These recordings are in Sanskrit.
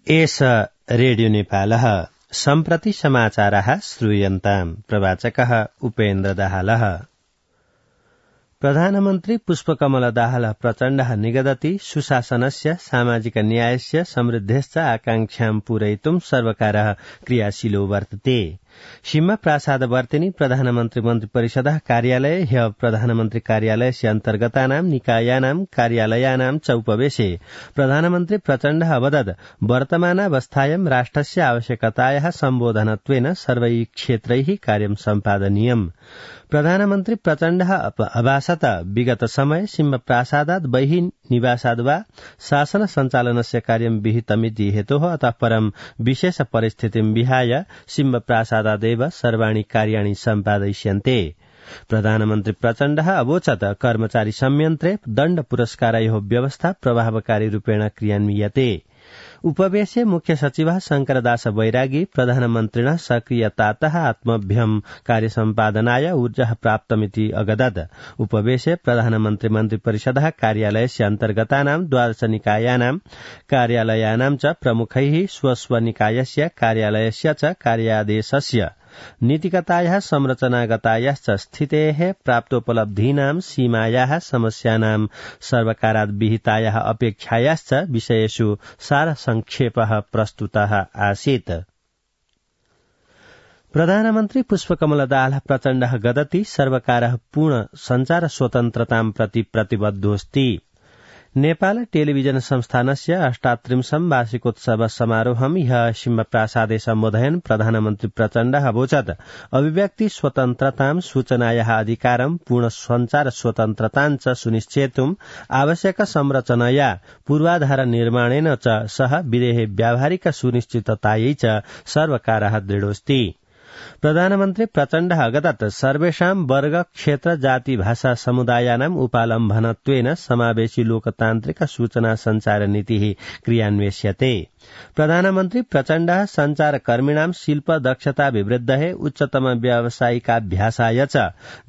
एष रेडियो नेपालः सम्प्रति समाचारः श्रूयन्ताम्। प्रवाचकः उपेन्द्र दाहालः। प्रधानमन्त्री पुष्पकमल दाहाल प्रचण्डः निगदति सुशासनस्य सामाजिक न्यायस्य समृद्धेश्च आकांक्षां पूरयितुं सर्वकारः क्रियाशीलो वर्तते। सिंह प्रासाद वर्तिनी प्रधानमन्त्री मन्त्री परिषदः कार्यालय ह्य प्रधानमन्त्री कार्यालयस्य अन्तर्गतानां निकायानां कार्यालयानां च उपवेशे प्रधानमन्त्री प्रचण्डः अवदत् वर्तमानावस्थायां राष्ट्रस्य आवश्यकतायाः सम्बोधनत्वेन सर्वैः क्षेत्रैः कार्यं सम्पादनीयम्। प्रधानमन्त्री प्रचण्डः अभाषत विगत समय सिंह प्रासादात् बहिः निवासाद् वा शासन सञ्चालनस्य कार्यं विहितमिति हेतोः अतः परं विशेष परिस्थितिं विहाय सिंह प्रासादादेव सर्वाणि कार्याणि सम्पादयिष्यन्ते। प्रधानमन्त्री प्रचण्डः अवोचत् कर्मचारी संयन्त्रे दण्ड पुरस्कारयोः व्यवस्था प्रभावकारी रूपेण क्रियान्वियते। उपवेशे मुख्य सचिवः शंकरदास बैरागी प्रधानमन्त्रिणः सक्रियतातः आत्मभ्यम् कार्यसम्पादनाय ऊर्जा प्राप्तमिति अगदत्। उपवेशे प्रधानमन्त्री मन्त्री परिषदः कार्यालयस्य अन्तर्गतानां 12 निकायानां कार्यालयानां च प्रमुखैः स्वस्वनिकायस्य कार्यालयस्य च कार्यादेशस्य नीतिगतायाः संरचनागतायाश्च स्थितेः प्राप्तोपलब्धीनां सीमायाः समस्यानां सर्वकाराद् विहितायाः अपेक्षायाश्च विषयेषु सारसंक्षेपः प्रस्तुतः आसीत्। प्रधानमन्त्री पुष्पकमल दाहाल प्रचण्डः गदति सर्वकारः पूर्ण सञ्चार स्वतन्त्रतां प्रति प्रतिबद्धोऽस्ति। नेपाल टेलिभिजन संस्थानस्य 38 वार्षिकोत्सव समारोहं ह्यः सिंहप्रासादे सम्बोधयन् प्रधानमन्त्री प्रचण्डः अवोचत् अभिव्यक्ति स्वतन्त्रतां सूचनायाः अधिकारं पूर्ण सञ्चार स्वतन्त्रतां च सुनिश्चेतुम् आवश्यक संरचनया पूर्वाधार निर्माणेन च सह विदेहे व्यावहारिक सुनिश्चिततायै च सर्वकारः दृढोऽस्ति। प्रधानमन्त्री प्रचण्डः अगदत् सर्वेषां वर्ग क्षेत्र जाति भाषा समुदायानाम् उपालम्भनत्वेन समावेशी लोकतान्त्रिक सूचना सञ्चार नीतिः क्रियान्वेष्यते। प्रधानमन्त्री प्रचण्डः सञ्चारकर्मिणां शिल्प दक्षताभिवृद्धये उच्चतम व्यावसायिकाभ्यासाय च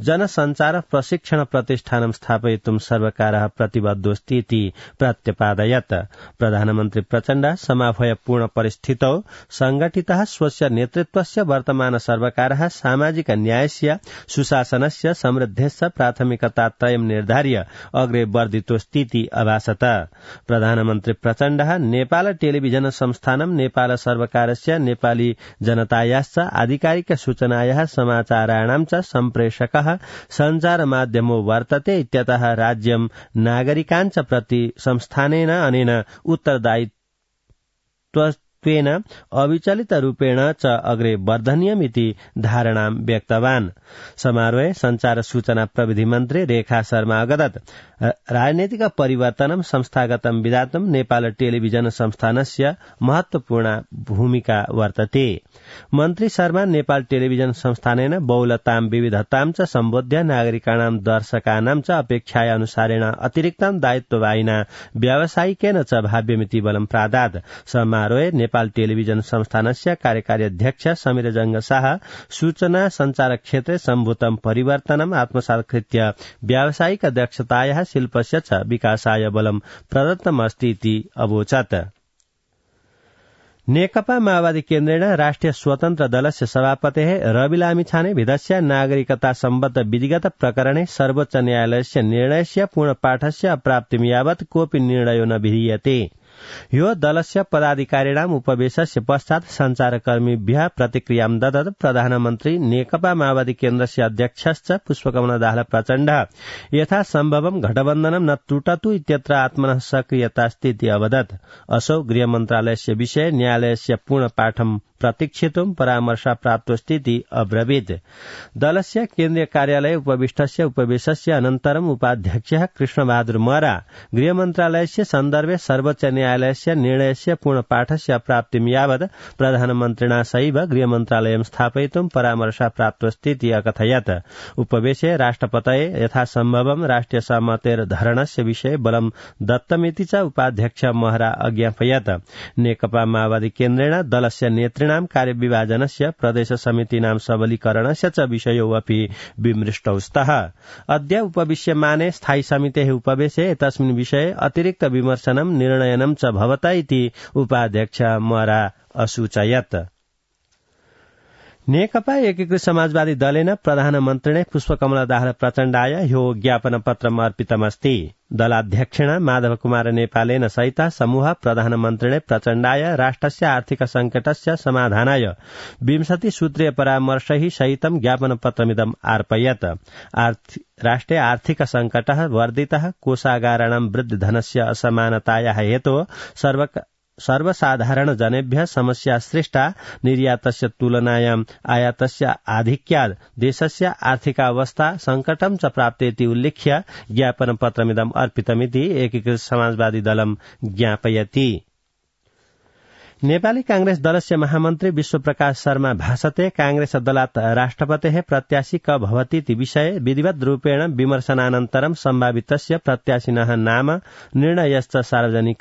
जनसञ्चार प्रशिक्षण प्रतिष्ठानं स्थापयितुं सर्वकारः प्रतिबद्धोऽस्ति इति प्रत्यपादयत्। प्रधानमन्त्री प्रचण्डः समाह्वयपूर्ण परिस्थितौ संगठितः स्वस्य नेतृत्वस्य वर्तमान सर्वकारः सामाजिक न्यायस्य सुशासनस्य समृद्धेश्च प्राथमिकतात्रयं निर्धार्य अग्रे वर्धितोऽस्तीति अभाषत। प्रधानमन्त्री प्रचण्डः नेपाल टेलिभिजन संस्थानं नेपाल सर्वकारस्य नेपाली जनतायाश्च आधिकारिक सूचनायाः समाचाराणां च सम्प्रेषकः सञ्चार माध्यमो वर्तते इत्यतः राज्यं नागरिकान् च प्रति संस्थानेन अनेन उत्तरदायित्वेन अविचलित रूपेण च अग्रे वर्धनीयमिति धारणां व्यक्तवान्। समारोहे सञ्चार सूचना प्रविधि मन्त्री रेखा शर्मा अगदत् राजनैतिक परिवर्तनं संस्थागतं विधातुं नेपाल टेलिभिजन संस्थानस्य महत्वपूर्ण भूमिका वर्तते। मन्त्री शर्मा नेपाल टेलिभिजन संस्थानेन बहुलतां विविधतां च सम्बोध्य नागरिकाणां दर्शकानां च अपेक्षाया अनुसारेण अतिरिक्तं दायित्ववाहिना व्यावसायिकेन च भाव्यमिति बलं प्रादात्। समारोहे नेपाल टेलिभिजन संस्थानस्य कार्यकारी अध्यक्ष समीर जंगशाह सूचना सञ्चार क्षेत्रे सम्भूतं परिवर्तनम् आत्मसात् कृत्य व्यावसायिक दक्षतायाः शिल्पस्य च विकासाय बलं प्रदत्तमस्ति इति अवोचत्। नेकपा माओवादी केन्द्रेण राष्ट्रिय स्वतन्त्र दलस्य सभापतेः रवि लामिछाने विधस्य नागरिकता सम्बद्ध विधिगत प्रकरणे सर्वोच्च न्यायालयस्य निर्णयस्य पूर्णपाठस्य अप्राप्तिं यावत् कोऽपि निर्णयो न विधीयते। यो दलस्य पदाधिकारिणाम् उपवेशस्य पश्चात् सञ्चारकर्मीभ्यः प्रतिक्रियां ददत् प्रधानमन्त्री नेकपा माओवादी केन्द्रस्य अध्यक्षश्च पुष्पकमल दाहाल प्रचण्डः यथा सम्भवं घटबन्धनं न त्रुटतु इत्यत्र आत्मनः सक्रियतास्ति इति अवदत्। असौ गृहमन्त्रालयस्य विषये न्यायालयस्य पूर्णपाठं प्रतीक्षितुं परामर्शः प्राप्तोऽस्ति इति अब्रवीत्। दलस्य केन्द्रीय कार्यालये उपविष्टस्य उपवेशस्य अनन्तरम् उपाध्यक्षः कृष्णबहादुर महरा गृहमन्त्रालयस्य सन्दर्भे सर्वोच्च न्यायालयस्य निर्णयस्य पूर्णपाठस्य प्राप्तिं यावत् प्रधानमन्त्रिणा सैव गृहमन्त्रालयं स्थापयितुं परामर्शः प्राप्तोऽस्ति इति अकथयत्। उपवेशे राष्ट्रपतये यथासम्भवं राष्ट्रिय सहमतेर्धरणस्य विषये बलं दत्तमिति च उपाध्यक्ष महरा अज्ञापयत्। नेकपा माओवादी केन्द्रेण दलस्य नेतृ दलाध्यक्षिणां कार्यविभाजनस्य प्रदेश समितीनां सबलीकरणस्य च विषयो अपि विमृष्टौ स्तः। अद्य उपविश्यमाने स्थायी समितेः उपवेशे एतस्मिन् विषये अतिरिक्त विमर्शनं निर्णयनं च भवत इति उपाध्यक्ष मरा असूचयत्। नेकपा एकीकृत समाजवादी दलेन प्रधानमन्त्रिणे पुष्पकमल दाहाल प्रचण्डाय ह्यो ज्ञापनपत्रम् अर्पितमस्ति। दलाध्यक्षिणा माधवकुमार नेपालेन सहित समूह प्रधानमन्त्रिणे प्रचण्डाय राष्ट्रस्य आर्थिक संकटस्य समाधानाय 20 सूत्रीय परामर्शैः सहितं ज्ञापनपत्रमिदम् अर्पयत्। राष्ट्रे आर्थिक संकटः वर्धितः, कोषागाराणां वृद्धिधनस्य असमानतायाः हेतोः सर्वसाधारण जनेभ्यः समस्या सृष्टा, निर्यातस्य तुलनायां आयातस्य आधिक्यात् देशस्य आर्थिकावस्था संकटं च प्राप्तेति उल्लिख्य ज्ञापनपत्रमिदम् अर्पितमिति एकीकृत समाजवादी दलम् ज्ञापयति। नेपाली कांग्रेस दलस्य महामन्त्री विश्वप्रकाश शर्मा भाषते कांग्रेस दलात् राष्ट्रपतेः प्रत्याशी क भवतीति विषये विधिवत् रूपेण विमर्शनानन्तरं सम्भावितस्य प्रत्याशिनः नाम निर्णयश्च सार्वजनिक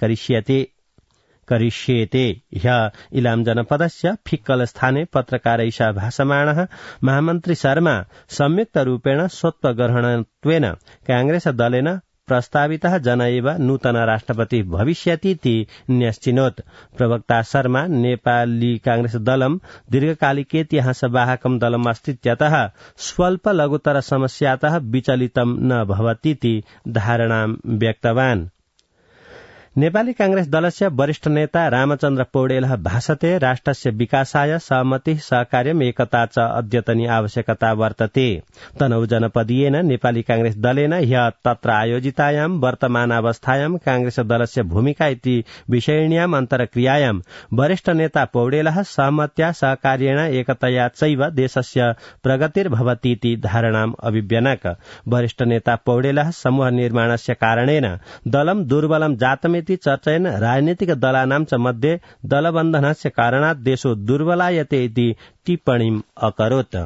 करिष्येते। ह्यः इलाम जनपदस्य फिक्कल स्थाने पत्रकारैषा भाषमाणः महामन्त्री शर्मा संयुक्त रूपेण स्वत्वग्रहणत्वेन कांग्रेस दलेन प्रस्तावितः जन एव नूतन राष्ट्रपति भविष्यतीति न्यश्चिनोत्। प्रवक्ता शर्मा नेपाली कांग्रेस दलम् दीर्घकालिकेतिहासवाहकं दलम् अस्तीत्यतः स्वल्प लघुतर समस्यातः विचलितं न भवतीति धारणां व्यक्तवान्। नेपाली कांग्रेस दलस्य वरिष्ठ नेता रामचन्द्र पौडेलः भाषते राष्ट्रस्य विकासाय सहमति सहकार्यम् एकता च अद्यतनी आवश्यकता वर्तते। तनहु जनपदीयेन नेपाली कांग्रेस दलेन ह्यः तत्र आयोजितायां वर्तमानावस्थायां कांग्रेस दलस्य भूमिका इति विषयिण्याम् अन्तर्क्रियायां वरिष्ठ नेता पौडेलः सहमत्या सहकार्येण एकतया चैव देशस्य प्रगतिर्भवतीति धारणाम् अभिव्यनक। वरिष्ठ नेता पौडेलः समूह निर्माणस्य कारणेन दलं दुर्बलं जातमिति चर्चयन् राजनीतिक दलानां च मध्ये दलबन्धनस्य कारणात् देशो दुर्बलायते इति टिप्पणीम् अकरोत्।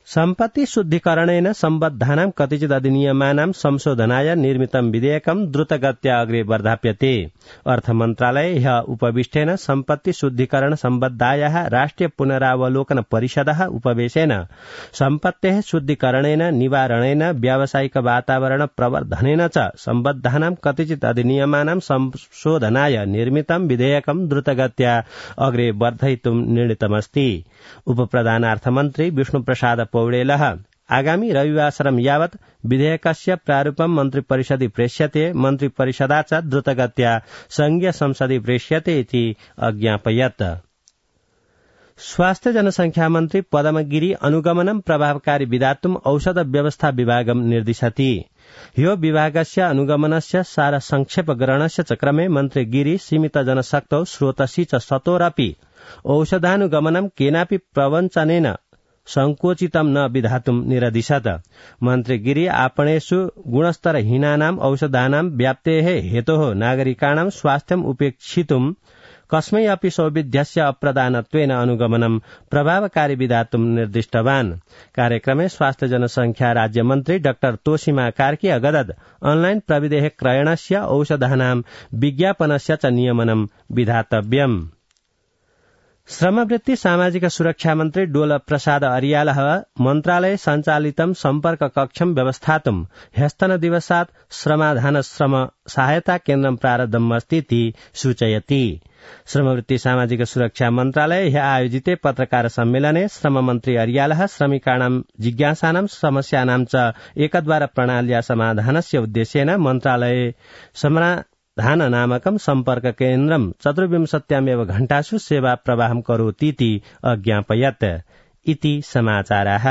सम्पत्ति शुद्धिकरणेन सम्बद्धानां कतिचित् अधिनियमानां संशोधनाय निर्मितं विधेयकं द्रुतगत्या अग्रे वर्धाप्यते। अर्थमन्त्रालये ह्यः उपविष्टेन सम्पत्ति शुद्धिकरण सम्बद्धायाः राष्ट्रिय पुनरावलोकन परिषदः उपवेशेन सम्पत्तेः शुद्धिकरणेन निवारणेन व्यावसायिक वातावरण प्रवर्धनेन च सम्बद्धानां कतिचित् अधिनियमानां संशोधनाय निर्मितं विधेयकं द्रुतगत्या अग्रे वर्धयितुं निर्णीतमस्ति। उपप्रधानार्थमन्त्री विष्णुप्रसाद पौडेलः आगामी रविवासरं यावत् विधेयकस्य प्रारूपं मन्त्रिपरिषदि प्रेष्यते, मन्त्रिपरिषदा च द्रुतगत्या संघीय संसदि प्रेष्यते इति अज्ञापयत्। स्वास्थ्य जनसंख्या मन्त्री पदमगिरी अनुगमनं प्रभावकारी विधातुम् औषध व्यवस्था विभागं निर्दिशति। ह्यो विभागस्य अनुगमनस्य सार संक्षेप ग्रहणस्य च क्रमे मन्त्री गिरी सीमित जनशक्तौ स्रोतसि च सतोरपि औषधानुगमनं केनापि प्रवञ्चनेन संकोचितं न विधातुं निरदिशत्। मन्त्री गिरी आपणेषु गुणस्तरहीनानाम् औषधानां व्याप्तेः हेतोः नागरिकाणां स्वास्थ्यम् उपेक्षितुं कस्मै अपि सौविध्यस्य अप्रदानत्वेन अनुगमनं प्रभावकारी विधातुं निर्दिष्टवान्। कार्यक्रमे स्वास्थ्य जनसंख्या राज्यमन्त्री डाक्टर तोसीमा कार्की अगदद ऑनलाइन प्रविधेः क्रयणस्य औषधानां विज्ञापनस्य च नियमनं विधातव्यम्। श्रमवृत्ति सामाजिक सुरक्षा मन्त्री डोल प्रसाद अर्यालः मन्त्रालये सञ्चालितं सम्पर्क कक्षं व्यवस्थातुं ह्यस्तनदिवसात् श्रमाधान श्रम सहायता केन्द्रं प्रारब्धमस्तीति सूचयति। श्रमवृत्ति सामाजिक सुरक्षा मन्त्रालये ह्यः आयोजिते पत्रकार सम्मेलने श्रममन्त्री अर्यालः श्रमिकाणां जिज्ञासानां समस्यानां च एकद्वार प्रणाल्या समाधानस्य उद्देश्येन मन्त्रालये समाधान नामकं सम्पर्क केन्द्रं 24 घण्टासु सेवा प्रवाहं करोतीति अज्ञापयत्। इति समाचाराः।